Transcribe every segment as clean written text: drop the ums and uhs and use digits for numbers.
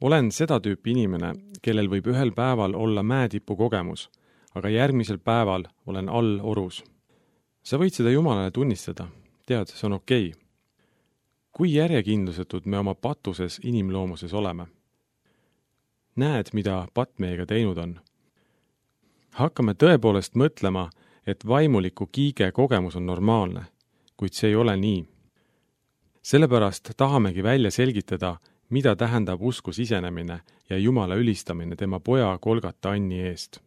Olen seda tüüpi inimene, kellel võib ühel päeval olla mäetipu kogemus, aga järgmisel päeval olen all orus. Sa võid seda Jumalale tunnistada, tead, see on okei. Kui järjekindlusetud me oma patuses inimloomuses oleme? Näed, mida patt meiega teinud on. Hakkame tõepoolest mõtlema, et vaimuliku kiige kogemus on normaalne, kuid see ei ole nii. Sellepärast tahamegi välja selgitada, mida tähendab usku sisenemine ja Jumala ülistamine tema poja Golgata Anni eest.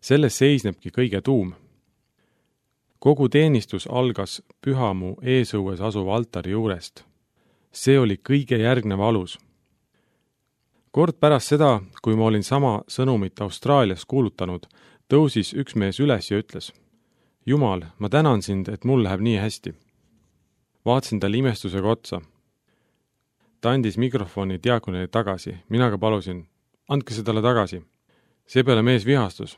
Selles seisnebki kõige tuum. Kogu teenistus algas Pühamu eesõues asuva altari juurest. See oli kõige järgnev alus. Kord pärast seda, kui ma olin sama sõnumit Austraalias kuulutanud, tõusis üks mees üles ja ütles: Jumal, ma tänan sind, et mul läheb nii hästi. Vaatasin talle imestusega otsa. Ta andis mikrofoni diaakonile tagasi, mina ka palusin, andke see talle tagasi. Seepeale mees vihastus.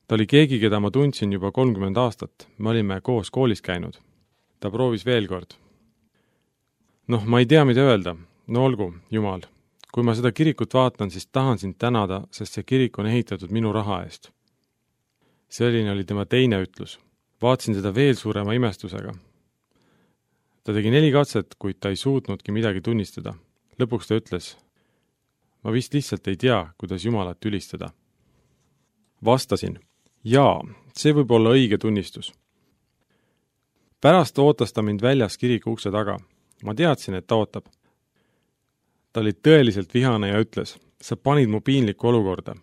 Ta oli keegi, keda ma tundsin juba 30 aastat, me olime koos koolis käinud. Ta proovis veel kord. Ma ei tea, mida öelda. No olgu, Jumal. Kui ma seda kirikut vaatan, siis tahan sind tänada, sest see kirik on ehitatud minu raha eest. Selline oli tema teine ütlus. Vaatasin seda veel suurema imestusega. Ta tegi 4 katset, kuid ta ei suutnudki midagi tunnistada. Lõpuks ta ütles: ma vist lihtsalt ei tea, kuidas Jumalat ülistada. Vastasin: jaa, see võib olla õige tunnistus. Pärast ootas ta mind väljas kiriku ukse taga. Ma teadsin, et ta ootab. Ta oli tõeliselt vihane ja ütles: sa panid mu piinlikku olukorda.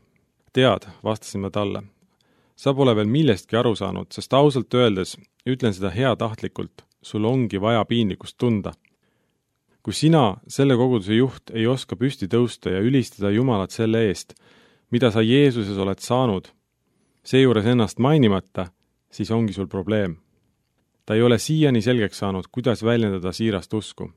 Tead, vastasin ma talle. Sa pole veel millestki aru saanud, sest ausalt öeldes ütlen seda heatahtlikult. Sul ongi vaja piinlikkust tunda. Kui sina, selle koguduse juht, ei oska püsti tõusta ja ülistada Jumalat selle eest, mida sa Jeesuses oled saanud, seejuures ennast mainimata, siis ongi sul probleem. Ta ei ole siiani selgeks saanud, kuidas väljendada siirast usku.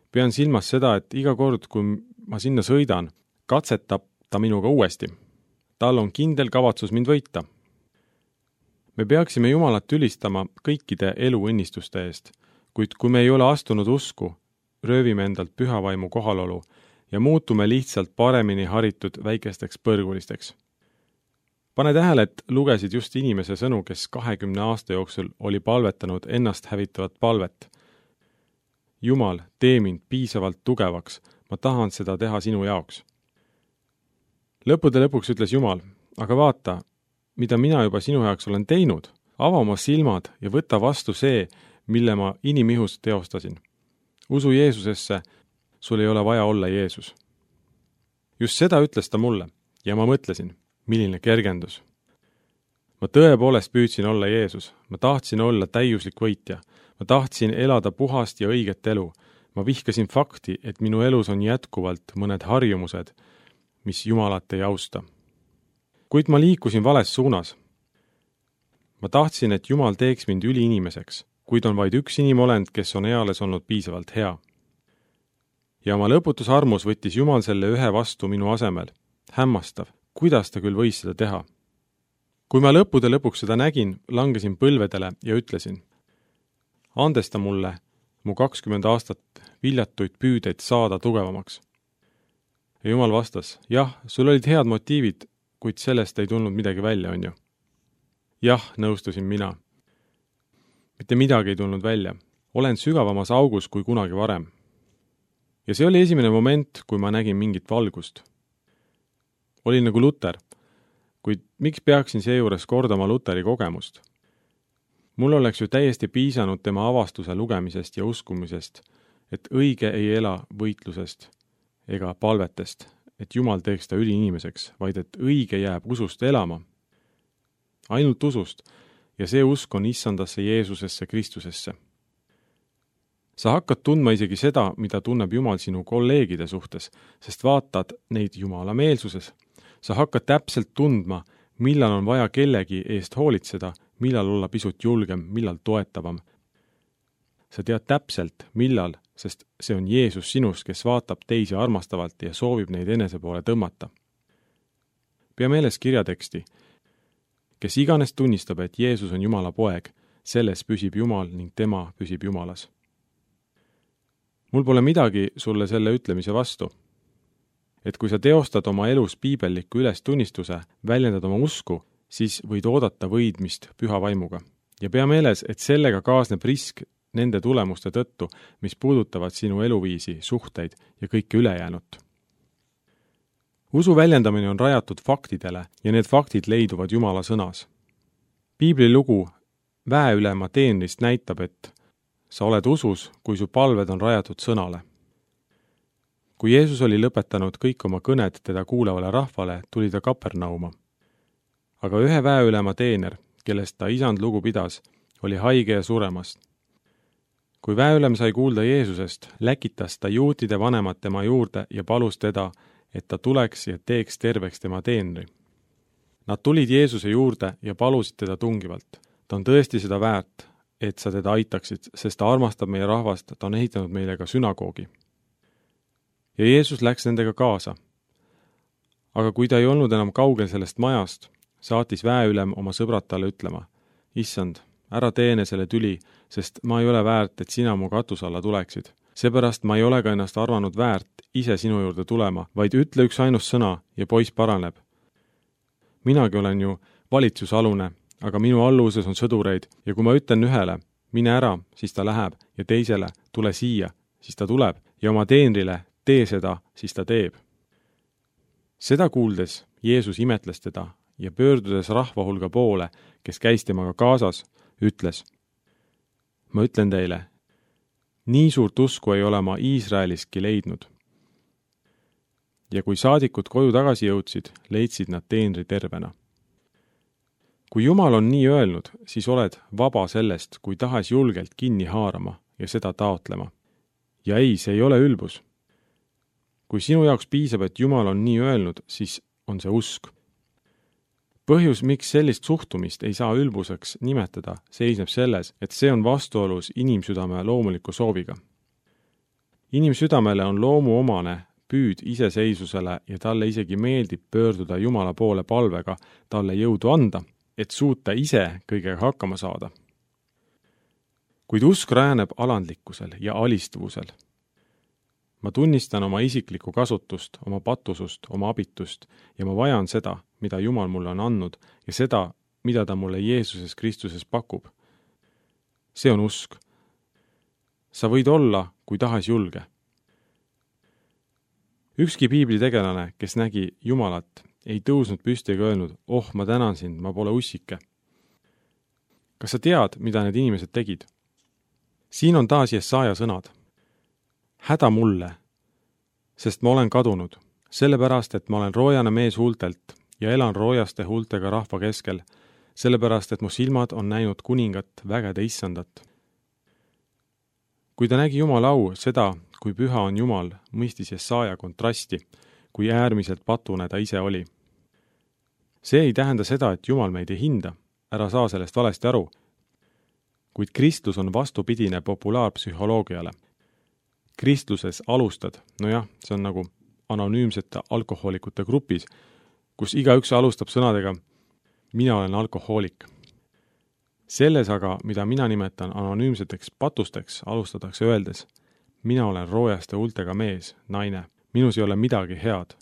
Pean silmas seda, et iga kord, kui ma sinna sõidan, katsetab ta minuga uuesti. Tal on kindel kavatsus mind võita. Me peaksime Jumalat ülistama kõikide eluõnnistuste eest, kuid kui me ei ole astunud usku, röövime endalt pühavaimu kohalolu ja muutume lihtsalt paremini haritud väikesteks põrgulisteks. Pane tähele, et lugesid just inimese sõnu, kes 20 aasta jooksul oli palvetanud ennast hävitavat palvet. Jumal, tee mind piisavalt tugevaks, ma tahan seda teha sinu jaoks. Lõppude lõpuks ütles Jumal: aga vaata, mida mina juba sinu jaoks olen teinud, ava oma silmad ja võta vastu see, mille ma inimihus teostasin. Usu Jeesusesse, sul ei ole vaja olla Jeesus. Just seda ütles ta mulle ja ma mõtlesin, milline kergendus. Ma tõepoolest püüdsin olla Jeesus, ma tahtsin olla täiuslik võitja, ma tahtsin elada puhast ja õiget elu, ma vihkasin fakti, et minu elus on jätkuvalt mõned harjumused, mis Jumalat ei austa. Kuid ma liikusin vales suunas. Ma tahtsin, et Jumal teeks mind üliinimeseks, kuid on vaid üks inimolend, kes on eales olnud piisavalt hea. Ja oma lõputus armus võttis Jumal selle ühe vastu minu asemel. Hämmastav, kuidas ta küll võis seda teha. Kui ma lõppude lõpuks seda nägin, langesin põlvedele ja ütlesin: andesta mulle mu 20 aastat viljatuid püüdeid saada tugevamaks. Ja Jumal vastas: jah, sul olid head motiivid, kuid sellest ei tulnud midagi välja, on ju? Jah, nõustusin mina. Mitte midagi ei tulnud välja. Olen sügavamas augus kui kunagi varem. Ja see oli esimene moment, kui ma nägin mingit valgust. Olin nagu Luter, kuid miks peaksin seejuures kordama Luteri kogemust? Mul oleks ju täiesti piisanud tema avastuse lugemisest ja uskumisest, et õige ei ela võitlusest ega palvetest, et Jumal teeks ta üliinimeseks, vaid et õige jääb usust elama. Ainult usust, ja see usk on issandasse Jeesusesse Kristusesse. Sa hakkad tundma isegi seda, mida tunneb Jumal sinu kolleegide suhtes, sest vaatad neid Jumala meelsuses. Sa hakkad täpselt tundma, millal on vaja kellegi eest hoolitseda, millal olla pisut julgem, millal toetavam. Sa tead täpselt, millal, sest see on Jeesus sinus, kes vaatab teisi armastavalt ja soovib neid enese poole tõmmata. Pea meeles kirjateksti. Kes iganes tunnistab, et Jeesus on Jumala poeg, selles püsib Jumal ning tema püsib Jumalas. Mul pole midagi sulle selle ütlemise vastu. et kui sa teostad oma elus piibelliku ülestunnistuse, väljendad oma usku, siis võid oodata võidmist püha vaimuga. Ja pea meeles, et sellega kaasneb risk nende tulemuste tõttu, mis puudutavad sinu eluviisi, suhteid ja kõike ülejäänut. Usu väljendamine on rajatud faktidele ja need faktid leiduvad Jumala sõnas. Piibli lugu väeülema teenrist näitab, et sa oled usus, kui su palved on rajatud sõnale. Kui Jeesus oli lõpetanud kõik oma kõned teda kuulevale rahvale, tuli ta Kapernauma. Aga ühe väeülema teener, kellest ta isand lugu pidas, oli haige ja suremas. Kui väeülem sai kuulda Jeesusest, läkitas ta juutide vanemad tema juurde ja palus teda, et ta tuleks ja teeks terveks tema teenri. Nad tulid Jeesuse juurde ja palusid teda tungivalt. Ta on tõesti seda väärt, et sa teda aitaksid, sest ta armastab meie rahvast, ta on ehitanud meile ka sünagoogi. Ja Jeesus läks nendega kaasa. Aga kui ta ei olnud enam kaugel sellest majast, saatis väeülem oma sõbrad talle ütlema, Issand, ära teene selle tüli, sest ma ei ole väärt, et sina mu katuse alla tuleksid. Seepärast ma ei ole ka ennast arvanud väärt ise sinu juurde tulema, vaid ütle üks ainus sõna ja poiss paraneb. Minagi olen ju valitsusalune, aga minu alluvuses on sõdureid ja kui ma ütlen ühele, mine ära, siis ta läheb ja teisele, tule siia, siis ta tuleb ja oma teenrile, tee seda, siis ta teeb. Seda kuuldes Jeesus imetles teda ja pöördudes rahvahulga poole, kes käis temaga kaasas, ütles, ma ütlen teile, nii suurt usku ei ole ma Iisraeliski leidnud. Ja kui saadikud koju tagasi jõudsid, leidsid nad teenri tervena. Kui Jumal on nii öelnud, siis oled vaba sellest, kui tahes julgelt kinni haarama ja seda taotlema. Ja ei, see ei ole ülbus. Kui sinu jaoks piisab, et Jumal on nii öelnud, siis on see usk. Põhjus, miks sellist suhtumist ei saa ülbuseks nimetada, seisneb selles, et see on vastuolus inimsüdame loomuliku sooviga. Inimsüdamele on loomuomane püüd iseseisvusele ja talle isegi meeldib pöörduda Jumala poole palvega talle jõudu anda, et suuta ise kõigega hakkama saada. Kuid usk rajaneb alandlikkusel ja alistuvusel. Ma tunnistan oma isiklikku kasutust, oma patusust, oma abitust ja ma vajan seda, mida Jumal mulle on andnud ja seda, mida ta mulle Jeesuses Kristuses pakub. See on usk. Sa võid olla, kui tahes julge. Ükski piibli tegelane, kes nägi Jumalat, ei tõusnud püsti ega öelnud, ma tänan sind, ma pole ussike. Kas sa tead, mida need inimesed tegid? Siin on taas Jesaja sõnad. Häda mulle, sest ma olen kadunud, sellepärast, et ma olen roojane mees huultelt ja elan roojaste huultega rahva keskel, sellepärast, et mu silmad on näinud kuningat vägede issandat. Kui ta nägi Jumala au, seda, kui püha on Jumal, mõistis Jesaja kontrasti, kui äärmiselt patune ta ise oli. See ei tähenda seda, et Jumal meid ei hinda, ära saa sellest valesti aru, kuid kristlus on vastupidine populaarpsühholoogiale. Kristluses alustad, see on nagu anonüümsete alkohoolikute grupis, kus igaüks alustab sõnadega mina olen alkohoolik. Selles aga, mida mina nimetan anonüümseteks patusteks, alustatakse öeldes mina olen roojaste huultega mees, naine, minus ei ole midagi head.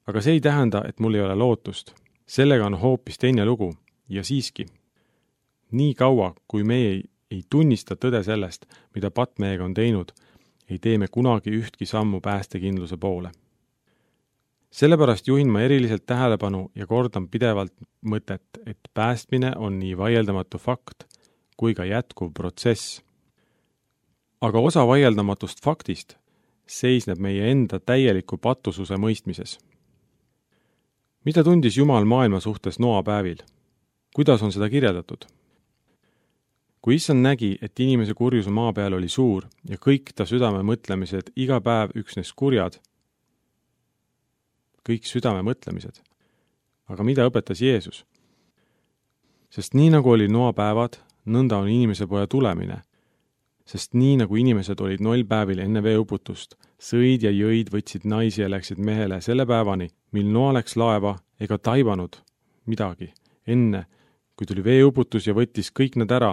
Aga see ei tähenda, et mul ei ole lootust. Sellega on hoopis teine lugu ja siiski. Nii kaua, kui me ei tunnista tõde sellest, mida patt meiega on teinud, ei tee me kunagi ühtki sammu päästekindluse poole. Sellepärast juhin ma eriliselt tähelepanu ja kordan pidevalt mõtet, et päästmine on nii vaieldamatu fakt kui ka jätkuv protsess. Aga osa vaieldamatust faktist seisneb meie enda täieliku patususe mõistmises. Mida tundis Jumal maailma suhtes Noa päevil? Kuidas on seda kirjeldatud? Kui Issand nägi, et inimese kurjus maa peal oli suur ja kõik ta südame mõtlemised iga päev üksnes kurjad, kõik südame mõtlemised. Aga mida õpetas Jeesus? Sest nii nagu oli Noa päevad, nõnda on inimese poja tulemine. Sest nii nagu inimesed olid 0 päevil enne veeuputust, sõid ja jõid, võtsid naisi ja läksid mehele selle päevani, mil Noa läks laeva ega taibanud midagi enne, kui tuli veeuputus ja võttis kõik nad ära.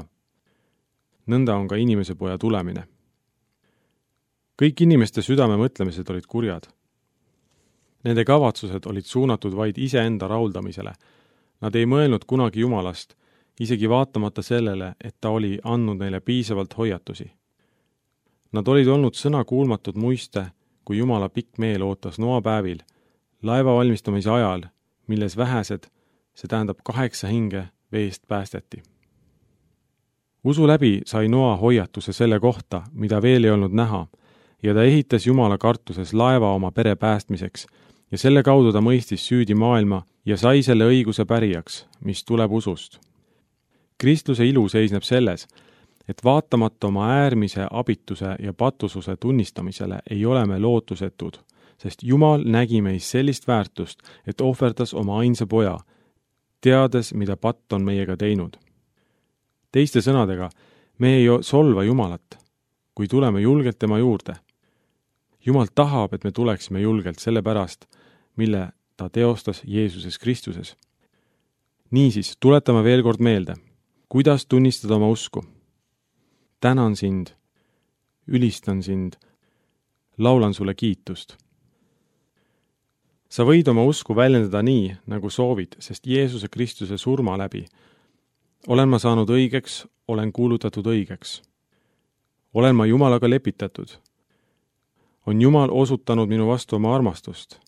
Nõnda on ka inimese poja tulemine. Kõik inimeste südame mõtlemised olid kurjad. Nende kavatsused olid suunatud vaid iseenda rahuldamisele. Nad ei mõelnud kunagi Jumalast, isegi vaatamata sellele, et ta oli andnud neile piisavalt hoiatusi. Nad olid olnud sõnakuulmatud muiste, kui Jumala pikk meel ootas Noa päevil, laeva valmistamise ajal, milles vähesed, see tähendab 8 hinge, veest päästeti. Usu läbi sai Noa hoiatuse selle kohta, mida veel ei olnud näha, ja ta ehitas Jumala kartuses laeva oma pere päästmiseks, ja selle kaudu ta mõistis süüdi maailma ja sai selle õiguse pärijaks, mis tuleb usust. Kristluse ilu seisneb selles, et vaatamata oma äärmise abituse ja patususe tunnistamisele ei ole me lootusetud, sest Jumal nägi meis sellist väärtust, et ohverdas oma ainsa poja, teades, mida patt on meiega teinud. Teiste sõnadega, me ei solva Jumalat, kui tuleme julgelt tema juurde. Jumal tahab, et me tuleksime julgelt selle pärast, mille ta teostas Jeesuses Kristuses. Niisiis, tuletame veel kord meelde, kuidas tunnistada oma usku. Tänan sind, ülistan sind, laulan sulle kiitust. Sa võid oma usku väljendada nii, nagu soovid, sest Jeesuse Kristuse surma läbi olen ma saanud õigeks, olen kuulutatud õigeks. Olen ma Jumalaga lepitatud. On Jumal osutanud minu vastu oma armastust.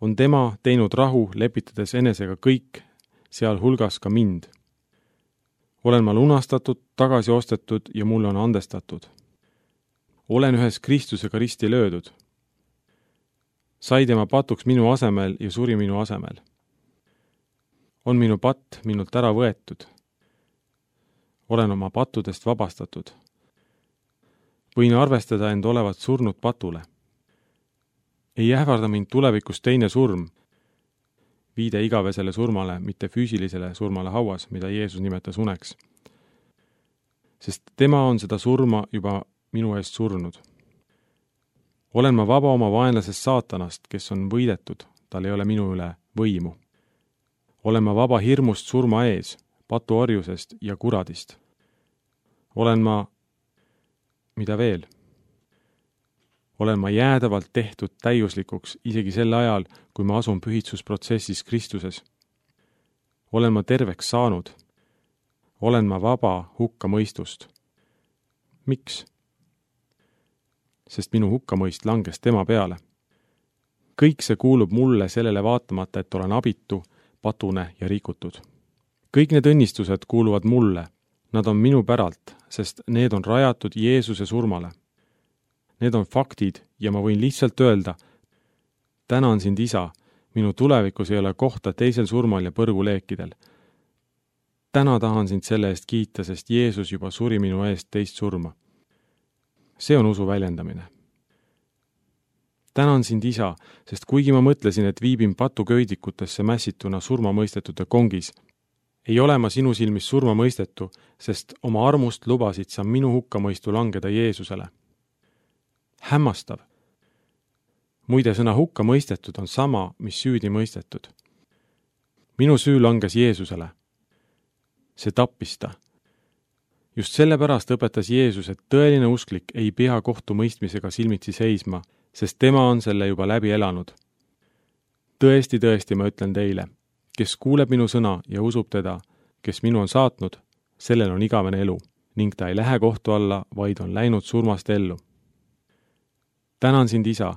On tema teinud rahu, lepitades enesega kõik, sealhulgas ka mind. Olen ma lunastatud, tagasi ostetud ja mulle on andestatud. Olen ühes Kristusega risti löödud. Sai tema patuks minu asemel ja suri minu asemel. On minu patt minult ära võetud. Olen oma pattudest vabastatud. Võin arvestada end olevat surnud patule. Ei ähvarda mind tulevikus teine surm, viide igavesele surmale, mitte füüsilisele surmale hauas, mida Jeesus nimetas uneks. Sest tema on seda surma juba minu eest surnud. Olen ma vaba oma vaenlasest saatanast, kes on võidetud, tal ei ole minu üle võimu. Olen ma vaba hirmust surma ees, patuorjusest ja kuradist. Olen ma, mida veel? Olen ma jäädavalt tehtud täiuslikuks isegi sel ajal, kui ma asun pühitsusprotsessis Kristuses. Olen ma terveks saanud. Olen ma vaba hukkamõistust. Miks? Sest minu hukkamõist langes tema peale. Kõik see kuulub mulle sellele vaatamata, et olen abitu, patune ja rikutud. Kõik need õnnistused kuuluvad mulle. Nad on minu päralt, sest need on rajatud Jeesuse surmale. Need on faktid ja ma võin lihtsalt öelda, tänan sind, Isa, minu tulevikus ei ole kohta teisel surmal ja põrguleekidel. Täna tahan sind selle eest kiita, sest Jeesus juba suri minu eest teist surma. See on usu väljendamine. Tänan sind, Isa, sest kuigi ma mõtlesin, et viibin patuköidikutesse mässituna surmamõistetute kongis, ei ole ma sinu silmis surmamõistetu, sest oma armust lubasid sa minu hukkamõistu langeda Jeesusele. Hämmastav. Muide, sõna hukkamõistetud on sama, mis süüdi mõistetud. Minu süü langes Jeesusele. See tappis ta. Just sellepärast õpetas Jeesus, et tõeline usklik ei pea kohtumõistmisega silmitsi seisma, sest tema on selle juba läbi elanud. Tõesti, tõesti, ma ütlen teile, kes kuuleb minu sõna ja usub teda, kes minu on saatnud, sellel on igavene elu, ning ta ei lähe kohtu alla, vaid on läinud surmast ellu. Tänan sind, Isa,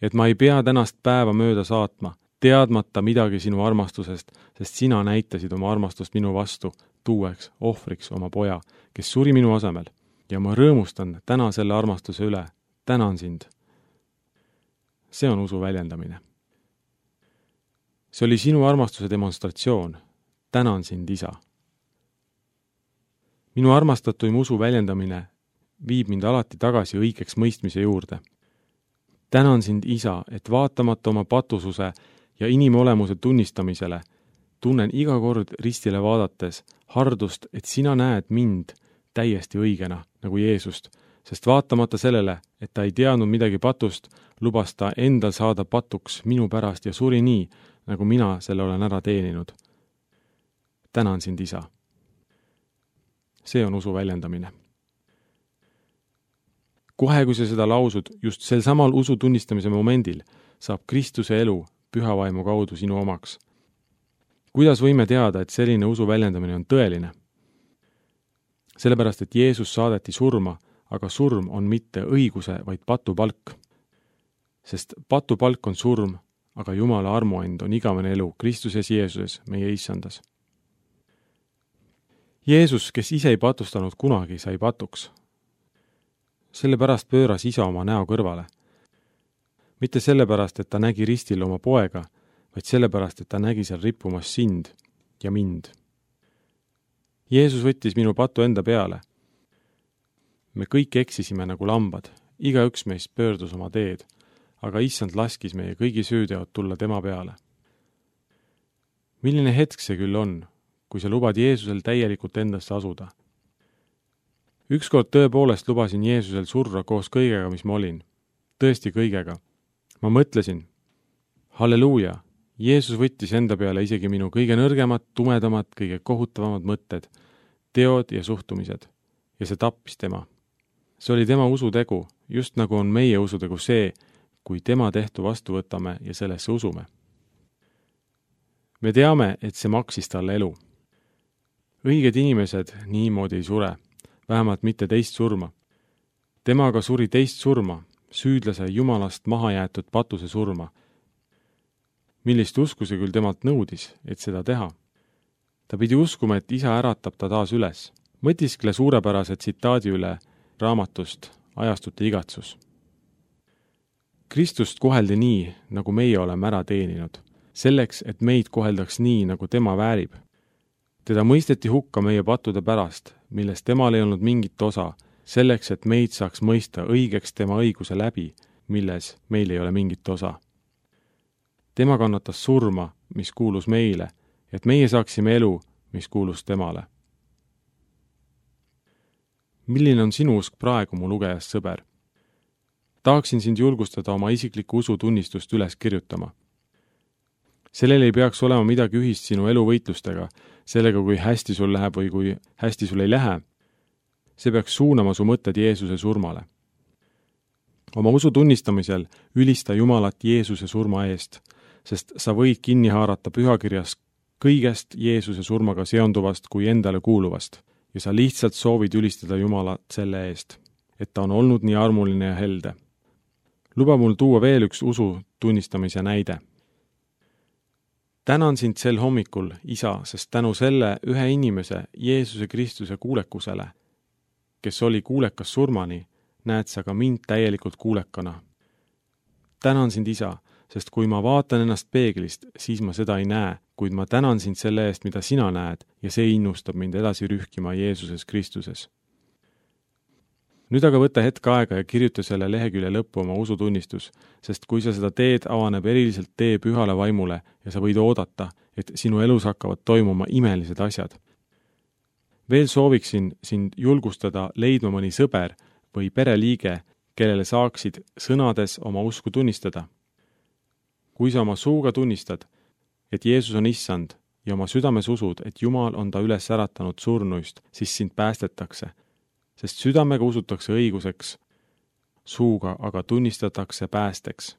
et ma ei pea tänast päeva mööda saatma, teadmata midagi sinu armastusest, sest sina näitasid oma armastust minu vastu, tuueks ohvriks oma poja, kes suri minu asemel, ja ma rõõmustan täna selle armastuse üle. Tänan sind. See on usu väljendamine. See oli sinu armastuse demonstratsioon. Tänan sind, Isa. Minu armastatuim usu väljendamine viib mind alati tagasi õigeks mõistmise juurde. Tänan sind, Isa, et vaatamata oma patususe ja inimolemuse tunnistamisele tunnen iga kord ristile vaadates hardust, et sina näed mind täiesti õigena, nagu Jeesust, sest vaatamata sellele, et ta ei teadnud midagi patust, lubas ta endal saada patuks minu pärast ja suri nii, nagu mina selle olen ära teeninud. Tänan sind, Isa. See on usu väljendamine. Kohe, kui sa seda lausud, just sel samal usu tunnistamise momendil, saab Kristuse elu püha vaimu kaudu sinu omaks. Kuidas võime teada, et selline usu väljendamine on tõeline? Sellepärast, et Jeesus saadeti surma, aga surm on mitte õiguse, vaid patupalk. Sest patupalk on surm, aga Jumala armuand on igavene elu Kristuses Jeesuses, meie issandas. Jeesus, kes ise ei patustanud kunagi, sai patuks. Sellepärast pööras isa oma näo kõrvale. Mitte sellepärast, et ta nägi ristil oma poega, vaid sellepärast, et ta nägi seal rippumas sind ja mind. Jeesus võttis minu patu enda peale. Me kõik eksisime nagu lambad, igaüks meist pöördus oma teed, aga issand laskis meie kõigi süüteod tulla tema peale. Milline hetk see küll on, kui sa lubad Jeesusel täielikult endasse asuda? Ükskord tõepoolest lubasin Jeesusel surra koos kõigega, mis ma olin. Tõesti kõigega. Ma mõtlesin, halleluuja, Jeesus võttis enda peale isegi minu kõige nõrgemad, tumedamad, kõige kohutavamad mõtted, teod ja suhtumised, ja see tappis tema. See oli tema usutegu, just nagu on meie usutegu see, kui tema tehtu vastu võtame ja sellesse usume. Me teame, et see maksis talle elu. Õiged inimesed niimoodi ei sure, vähemalt mitte teist surma. Temaga suri teist surma, süüdlase Jumalast maha jäetud patuse surma. Millist usku see küll temalt nõudis, et seda teha? Ta pidi uskuma, et isa äratab ta taas üles. Mõtiskle suurepärase tsitaadi üle raamatust Ajastute igatsus. Kristust koheldi nii, nagu meie oleme ära teeninud, selleks, et meid koheldaks nii, nagu tema väärib. Teda mõisteti hukka meie pattude pärast, milles temal ei olnud mingit osa, selleks, et meid saaks mõista õigeks tema õiguse läbi, milles meil ei ole mingit osa. Tema kannatas surma, mis kuulus meile, et meie saaksime elu, mis kuulus temale. Milline on sinu usk praegu, mu lugejast sõber? Tahaksin sind julgustada oma isiklikku usutunnistust üles kirjutama. Sellel ei peaks olema midagi ühist sinu eluvõitlustega, sellega, kui hästi sul läheb või kui hästi sul ei lähe. See peaks suunama su mõtted Jeesuse surmale. Oma usu tunnistamisel ülista Jumalat Jeesuse surma eest, sest sa võid kinni haarata pühakirjas kõigest Jeesuse surmaga seonduvast kui endale kuuluvast ja sa lihtsalt soovid ülistada Jumalat selle eest, et ta on olnud nii armuline ja helde. Luba mul tuua veel üks usu tunnistamise näide. Tänan sind sel hommikul, isa, sest tänu selle ühe inimese, Jeesuse Kristuse kuulekusele, kes oli kuulekas surmani, näed sa ka mind täielikult kuulekana. Tänan sind, isa, sest kui ma vaatan ennast peeglist, siis ma seda ei näe, kuid ma tänan sind selle eest, mida sina näed, ja see innustab mind edasi rühkima Jeesuses Kristuses. Nüüd aga võta hetk aega ja kirjuta selle lehekülje lõppu oma usutunnistus, sest kui sa seda teed, avaneb eriliselt tee pühale vaimule ja sa võid oodata, et sinu elus hakkavad toimuma imelised asjad. Veel sooviksin sind julgustada leidma mõni sõber või pereliige, kellele saaksid sõnades oma usku tunnistada. Kui sa oma suuga tunnistad, et Jeesus on issand ja oma südames usud, et Jumal on ta üles äratanud surnuist, siis sind päästetakse, sest südamega usutakse õiguseks, suuga aga tunnistatakse päästeks.